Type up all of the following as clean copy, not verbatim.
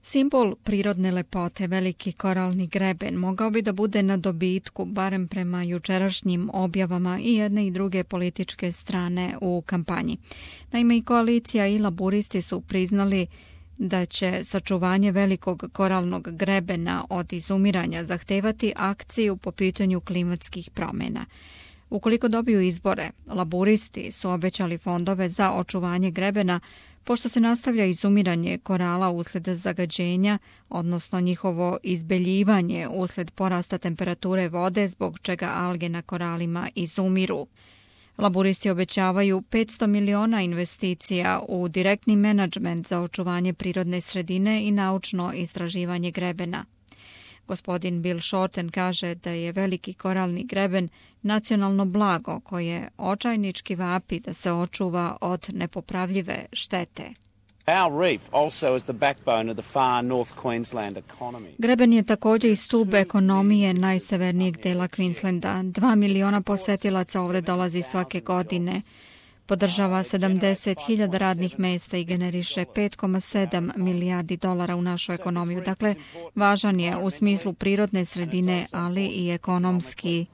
Simbol prirodne lepote, veliki koralni greben, mogao bi da bude na dobitku, barem prema jučerašnjim objavama i jedne i druge političke strane u kampanji. Naime, i koalicija i laburisti su priznali da će sačuvanje velikog koralnog grebena od izumiranja zahtevati akciju po pitanju klimatskih promjena. Ukoliko dobiju izbore, laburisti su obećali fondove za očuvanje grebena, pošto se nastavlja izumiranje korala usled zagađenja, odnosno njihovo izbeljivanje usled porasta temperature vode, zbog čega alge na koralima izumiru. Laburisti obećavaju 500 miliona investicija u direktni menadžment za očuvanje prirodne sredine i naučno istraživanje grebena. Gospodin Bill Shorten kaže da je veliki koralni greben nacionalno blago koje očajnički vapi da se očuva od nepopravljive štete. Greben je također i stub ekonomije najsevernijeg dela Queenslanda. 2 miliona posetilaca ovdje dolazi svake godine. Podržava 70.000 radnih mjesta i generiše 5,7 milijardi dolara u našu ekonomiju. Dakle, važan je u smislu prirodne sredine, ali i ekonomski.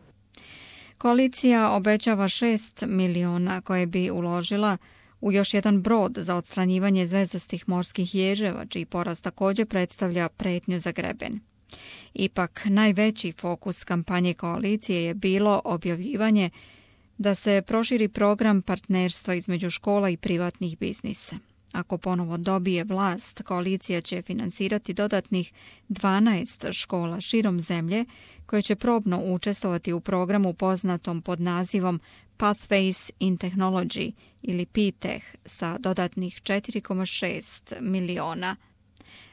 Koalicija obećava 6 miliona koje bi uložila u još jedan brod za odstranjivanje zvezdastih morskih ježeva, čiji porast također predstavlja pretnju za greben. Ipak, najveći fokus kampanje koalicije je bilo objavljivanje da se proširi program partnerstva između škola i privatnih biznisa. Ako ponovo dobije vlast, koalicija će finansirati dodatnih 12 škola širom zemlje koje će probno učestvovati u programu poznatom pod nazivom Pathways in Technology ili PTech sa dodatnih 4,6 miliona.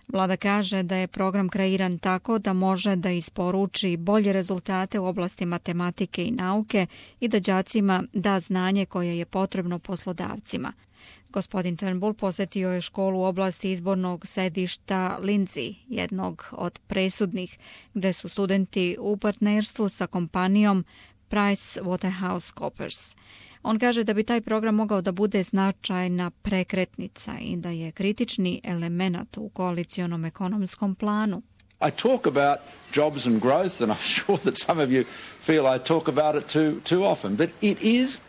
Vlada kaže da je program kreiran tako da može da isporuči bolje rezultate u oblasti matematike i nauke i da đacima da znanje koje je potrebno poslodavcima. Gospodin Turnbull posjetio je školu u oblasti izbornog sedišta Lindsay, jednog od presudnih, gde su studenti u partnerstvu sa kompanijom PricewaterhouseCoopers. On kaže da bi taj program mogao da bude značajna prekretnica i da je kritični element u koalicionom ekonomskom planu. I talk about jobs and growth and I'm sure that some of you feel I talk about it too often, but it is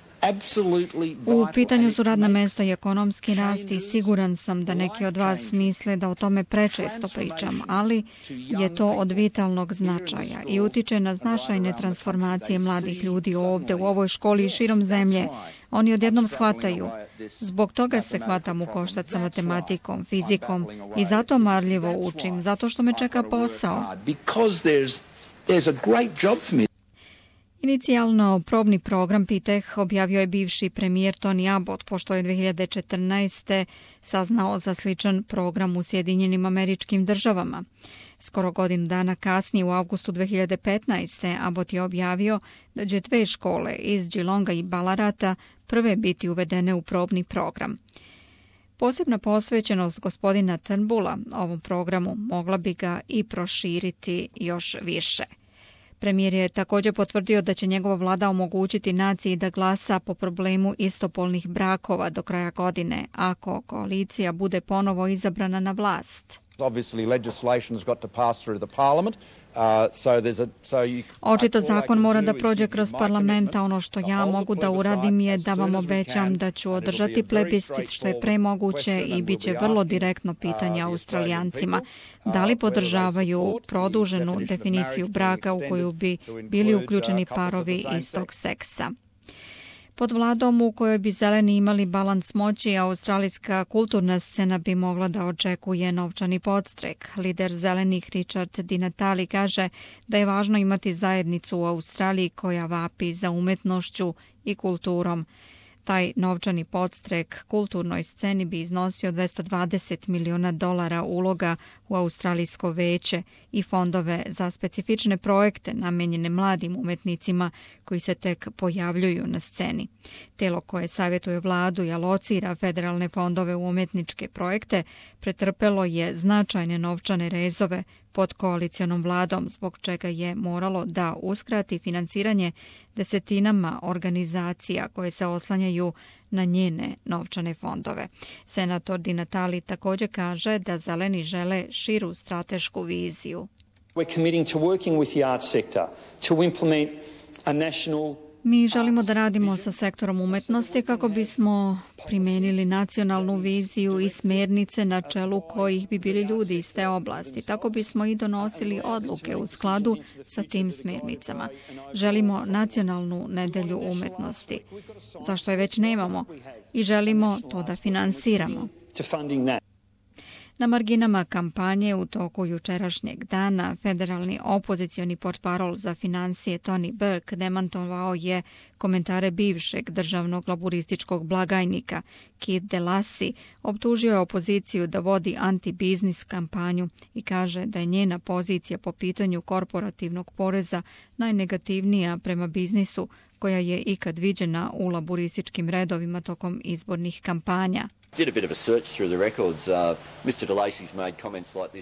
u pitanju su radna mesta i ekonomski rast i siguran sam da neki od vas misle da o tome prečesto pričam, ali je to od vitalnog značaja i utiče na značajne transformacije mladih ljudi ovdje u ovoj školi i širom zemlje. Oni odjednom shvataju. Zbog toga se hvatam u koštac sa matematikom, fizikom i zato marljivo učim, zato što me čeka posao. Inicijalno probni program PTech objavio je bivši premijer Tony Abbott, pošto je 2014. saznao za sličan program u Sjedinjenim Američkim Državama. Skoro godinu dana kasnije, u avgustu 2015. Abbott je objavio da će 2 škole iz Geelonga i Ballarata prve biti uvedene u probni program. Posebna posvećenost gospodina Turnbulla ovom programu mogla bi ga i proširiti još više. Premijer je također potvrdio da će njegova vlada omogućiti naciji da glasa po problemu istopolnih brakova do kraja godine, ako koalicija bude ponovo izabrana na vlast. Očito zakon mora da prođe kroz parlament, a ono što ja mogu da uradim je da vam obećam da ću održati plebiscit što je premoguće i bit će vrlo direktno pitanje Australijancima. Da li podržavaju produženu definiciju braka u koju bi bili uključeni parovi istog seksa? Pod vladom u kojoj bi zeleni imali balans moći, australijska kulturna scena bi mogla da očekuje novčani podstrek. Lider zelenih Richard Di Natale kaže da je važno imati zajednicu u Australiji koja vapi za umetnošću i kulturom. Taj novčani podstrek kulturnoj sceni bi iznosio $220 miliona uloga u Australijsko veće i fondove za specifične projekte namijenjene mladim umetnicima koji se tek pojavljuju na sceni. Telo koje savjetuje vladu i alocira federalne fondove u umetničke projekte pretrpelo je značajne novčane rezove pod koalicionom vladom, zbog čega je moralo da uskrati finansiranje desetinama organizacija koje se oslanjaju na njene novčane fondove. Senator Di Natale također kaže da zeleni žele širu stratešku viziju. We're committing to working with the art sector to implement a national. Mi želimo da radimo sa sektorom umetnosti kako bismo primijenili nacionalnu viziju i smjernice na čelu kojih bi bili ljudi iz te oblasti. Tako bismo i donosili odluke u skladu sa tim smjernicama. Želimo nacionalnu nedelju umetnosti, zašto je već nemamo, i želimo to da finansiramo. Na marginama kampanje u toku jučerašnjeg dana federalni opozicioni portparol za financije Tony Burke demantovao je komentare bivšeg državnog laburističkog blagajnika Keith DeLacy, optužio je opoziciju da vodi anti-biznis kampanju i kaže da je njena pozicija po pitanju korporativnog poreza najnegativnija prema biznisu koja je ikad viđena u laburističkim redovima tokom izbornih kampanja.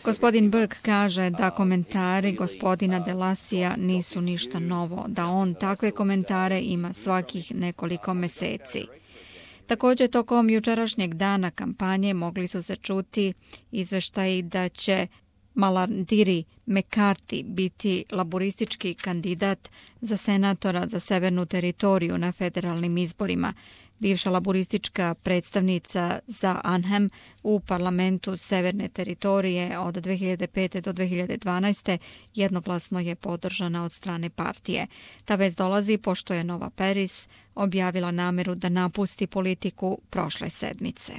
Gospodin Burke kaže da komentari gospodina DeLacyja nisu ništa novo, da on takve komentare ima svakih nekoliko meseci. Također, tokom jučerašnjeg dana kampanje mogli su se čuti izveštaji da će Malarndirri McCarthy biti laburistički kandidat za senatora za severnu teritoriju na federalnim izborima. Bivša laburistička predstavnica za Anham u parlamentu severne teritorije od 2005. do 2012. jednoglasno je podržana od strane partije. Ta vez dolazi pošto je Nova Paris objavila nameru da napusti politiku prošle sedmice.